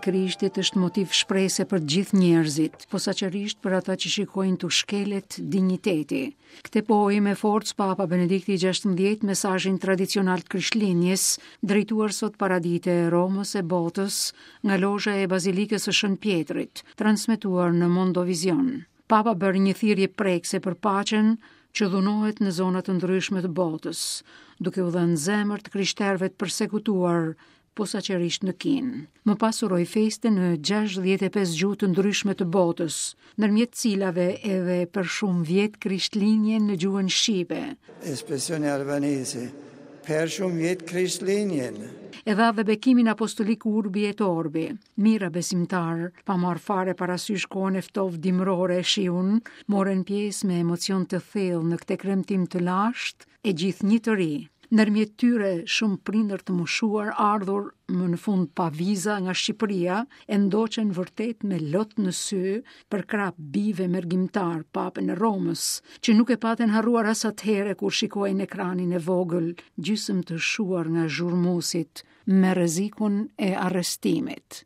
Krishtit është motiv shprese për të gjithë njerëzit, posaçërisht për ata që shikojnë t'u shkelet dinjiteti. Këtë pohoi me forcë Papa Benedikti XVI mesazhin tradicional të Krishtlindjes, drejtuar sot paradite Romës e botës nga lozha e Bazilikës së Shën Pjetrit, transmetuar në Mondovision. Papa bëri një thirrje prekëse për paqen që dhunohet në zona të ndryshme të botës, duke u dhënë zemër të krishterëve të persekutuar posaçërisht në Kinë. Më pas uroi festën në 65 gjuhë të ndryshme të botës, ndërmjet cilave edhe për shumë vjet Krishtlindjen në gjuhën shqipe. Espressione albanese, per shumë vjet Krishtlindjen. E dha dhe bekimin apostolik Urbi et Orbi. Mijëra besimtarë, pa marrë fare parasysh kohën e ftohtë dimërore e shiun, morën pjesë me emocion të thellë në këtë kremtim të lashtë e gjithnjë të ri. Ndërmjet tyre shumë prindër të moshuar ardhur më në fund pa viza nga Shqipëria e ndoqën vërtet me lot në sy përkrah bijve mërgimtarë papën e Romës, që nuk e patën harruar as atëherë kur shikohej në ekranin e vogël, gjysmë të shuar nga zhurmuesit, me rrezikun e arrestimit.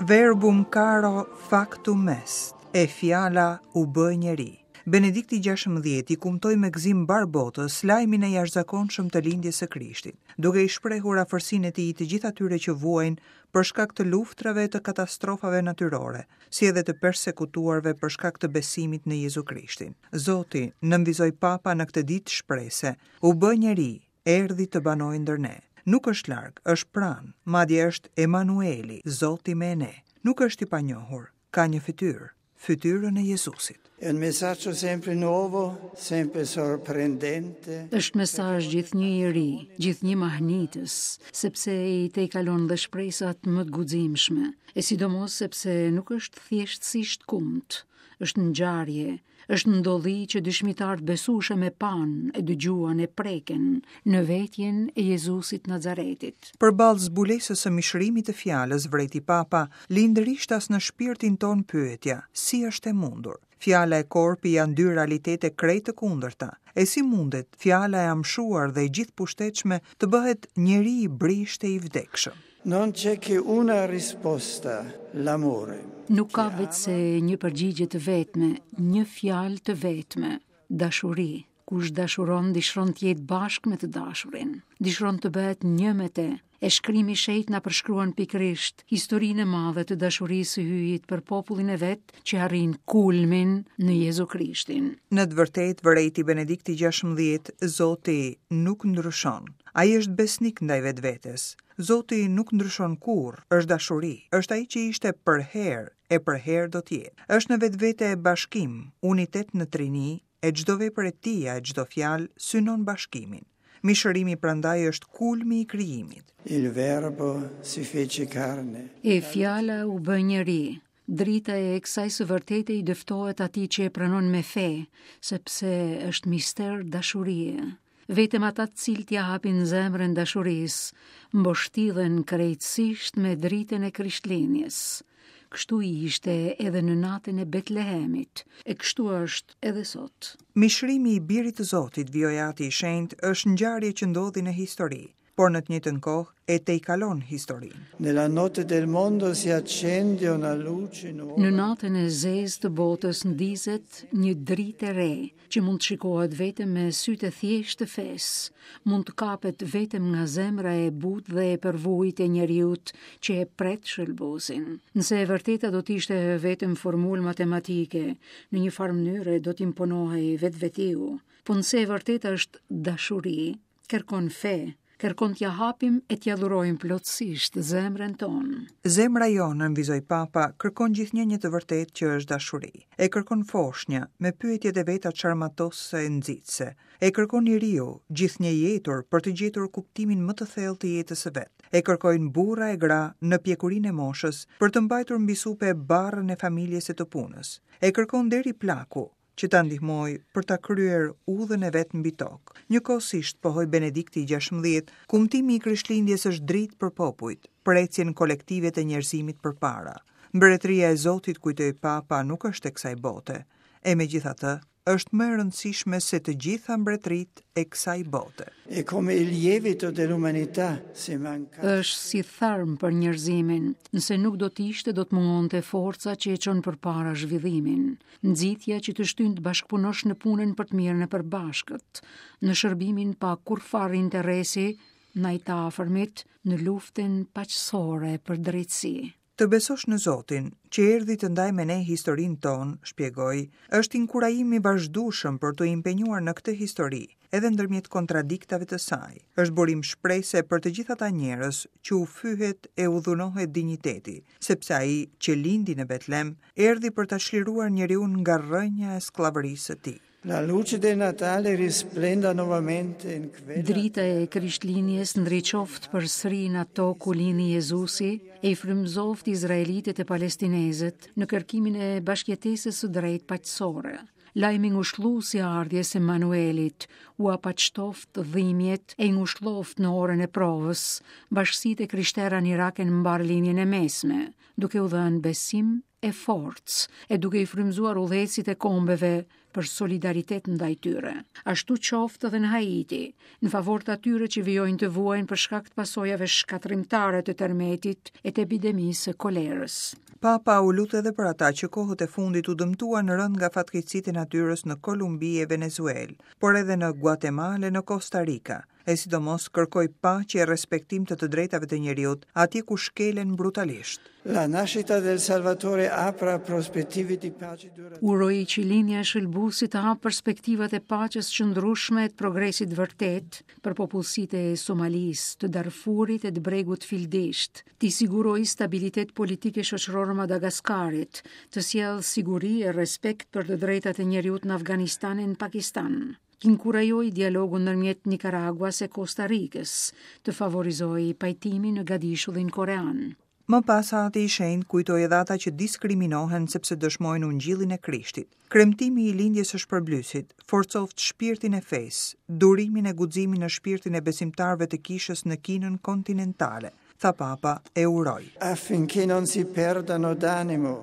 Verbum caro factum est, e fjala u bë njeri. Benedikti XVI i kumtoi me gëzim mbarë botës lajmin e jashtëzakonshëm të lindjes së Krishtit, duke i shprehur afërsinë e tij të gjithë atyre që vuajnë për shkak të luftrave e të katastrofave natyrore, si edhe të persekutuarve për shkak të besimit në Jezu Krishtin. Zoti, nënvizoi Papa në këtë ditë shprese, u bë njeri, erdhi të banojë ndër ne. Nuk është larg, është pranë, madje është Emanueli, Zoti me ne. Nuk është i panjohur, ka një fytyrë, fytyrën e Jezusit. È un messaggio sempre nuovo, sempre sorprendente. Është mesazh gjithnjë i ri, gjithnjë mahnitës, sepse i tejkalon dhe shpresat më të guximshme, e sidomos sepse nuk është thjeshtësisht kumt, është ngjarje, Është ndodhi që dëshmitarë të besueshëm e panë, e dëgjuan, e preken në vetjen e Jezusit të Nazaretit. Përballë zbulesës së mishërimit të fjalës, vërejti Papa, lind rishtas në shpirtin tonë pyetja, si është e mundur? Fjala e korpi janë dy realitete krejt të kundërta. E si mundet fjala e amshuar dhe e gjithëpushtetshme të bëhet njeri i brishtë e i vdekshëm? Non c'è che una risposta, l'amore. Nuk ka veçse një përgjigje të vetme, një fjalë të vetme, dashuri. Kush dashuron, dëshiron të jetë bashkë me të dashurin, dëshiron të bëhet një me te. E shkrimi i shenjtë na përshkruan pikërisht historinë e madhe të dashurisë së Hyjit për popullin e vet që arrin kulmin në Jezu Krishtin. Në të vërtetë, vërejti Benedikti XVI, Zoti nuk ndryshon. Ai është besnik ndaj vetvetes. Zoti nuk ndryshon kurrë, është dashuri, është ai që ishte përherë e përherë do të jetë. Është në vetvete bashkim, unitet në trini, e çdo vepër e tija e çdo fjalë synon bashkimin. Mishërimi prandaj është kulmi i krijimit. Il verbo si fece carne. E fjala u bë njeri, Drita e kësaj së vërtete i dëftohet atij që e pranon me fe, sepse është mister dashurie. Vetëm ata të cilët ia hapin zemrën dashurisë, mbështillen krejtësisht me dritën e Krishtlindjes. Kështu ishte edhe në natën e Betlehemit, e kështu është edhe sot. Mishërimi i Birit të Zotit, vijoi Ati i Shenjtë, është ngjarje që ndodhi në histori. por në të njëjtën kohë e tejkalon historinë. Nella notte del mondo si accende una luce nuova. Në natën e zezë të botës ndizet një dritë e re, që mund të shikohet vetëm me sytë e thjeshtë të fesë, mund të kapet vetëm nga zemra e butë dhe e përvujtë e njeriut që e pret shëlbuesin. Nëse e vërteta do të ishte vetëm formulë matematike, në një farë mënyre do të imponohej vetvetiu. Po nëse e vërteta është dashuri, Kërkon fe, kërkon t'ia hapim e t'ia dhurojmë plotësisht zemrën tonë. Zemra jonë, nënvizoi Papa, kërkon gjithnjë një të vërtetë që është dashuri. E kërkon foshnja, me pyetjet e veta çarmatosëse e nxitëse. E kërkon i riu, gjithnjë i etur për të gjetur kuptimin më të thellë të jetës së vet. E kërkojnë burra e gra në pjekurinë e moshës për të mbajtur mbi supe barrën e familjes e të punës. E kërkon deri plaku, që ta ndihmojë për ta kryer udhën e vet mbi tokë. Njëkohësisht, pohoi Benedikti i XVI, kumtimi i Krishtlindjes është dritë për popujt, për ecjen kolektive të njerëzimit përpara. Mbretëria e Zotit, kujtoi Papa, nuk është e kësaj bote. E megjithatë, është më e rëndësishme se të gjitha mbretëritë e kësaj bote. È come il lievito dell'umanità, se manca. Është si tharm për njerëzimin. Nëse nuk do të ishte, do të mungonte forca që e çon përpara zhvillimin, nxitja që të shtyn të bashkëpunosh në punën për të mirën e përbashkët, në shërbimin pa kurrfarë interesi ndaj të afërmit, në luftën paqësore për drejtësi. Të besosh në Zotin, që erdhi të ndajë me ne historinë tonë, shpjegoi, është inkurajim i vazhdueshëm për t'u impenjuar në këtë histori, edhe ndërmjet kontradiktave të saj. Është burim shprese për të gjithë ata njerëz që u fyhet e u dhunohet dinjiteti, sepse ai që lindi në Betlem, erdhi për ta çliruar njeriun nga rrënja e skllavërisë së tij. La luce del Natale risplenda nuovamente in quella Drita e Krishtlindjes ndriçoftë përsëri në atë tokë ku lindi Jezusi e i frymëzoftë izraelitët e palestinezët në kërkimin e bashkëjetesës së drejtë paqësore. Lajmi ngushëllues i ardhjes së Emanuelit ua paqtoftë dhimbjet e i ngushëlloftë në orën e provës bashkësitë e krishtera në Irak e në mbarë Lindjen e Mesme, duke u dhënë besim e forcë, e duke i frymëzuar udhëheqësit e kombeve për solidaritet ndaj tyre. Ashtu qoftë edhe në Haiti, në favor të atyre që vijojnë të vuajnë për shkak të pasojave shkatërrimtare të tërmetit e të epidemisë së kolerës. Papa u lut edhe për ata që kohët e fundit u dëmtuan rëndë nga fatkeqësitë e natyrës në Kolumbi e Venezuelë, por edhe në Guatemalë e në Kosta Rika. e sidomos kërkoi paqe e respektim të të drejtave të njeriut atje ku shkelen brutalisht. La nascita del Salvatore apra prospettive di pace duratura. Uroi që lindja e Shëlbuesit të hapë perspektivat e paqes së qëndrueshme e të progresit të vërtetë për popullsitë e Somalisë, të Darfurit e të Bregut të Fildishtë, t'i sigurojë stabilitet politik e shoqëror Madagaskarit, të sjellë siguri e respekt për të drejtat e njeriut në Afganistan e në Pakistan. Të inkurajojë dialogun ndërmjet Nikaraguas e Kosta Rikës, të favorizojë pajtimin në gadishullin korean. Më pas Ati i Shenjtë kujtoi edhe ata që diskriminohen sepse dëshmojnë Ungjillin e Krishtit. Kremtimi i lindjes së Shpërblyesit forcoftë shpirtin e fesë, durimin e guximin në shpirtin e besimtarëve të Kishës në Kinën kontinentale. tha Papa e uroi. Affinché non si perdano d'animo.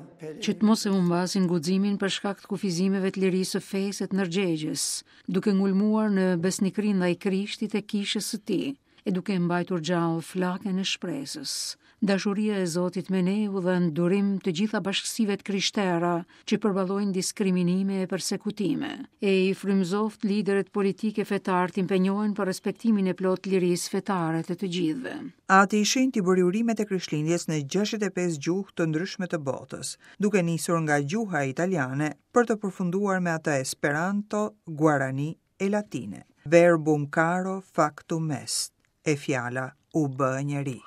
Që të mos e humbasin guximin për shkak të kufizimeve të lirisë së fesë e të ndërgjegjes, duke ngulmuar në besnikëri ndaj Krishtit e Kishës së Tij, e duke mbajtur gjallë flakën e shpresës. Dashuria e Zotit me ne u dhëntë durim të gjitha bashkësive të krishtera që përballojnë diskriminime e persekutime, e i frymëzoftë liderët politikë e fetarë të impenjohen për respektimin e plotë të lirisë fetare të të gjithëve. Ati i Shenjtë i bëri urimet e Krishtlindjes në 65 gjuhë të ndryshme të botës, duke nisur nga gjuha italiane për të përfunduar me atë Esperanto, Guarani e Latine. Verbum caro factum est, e fjala u bë njeri.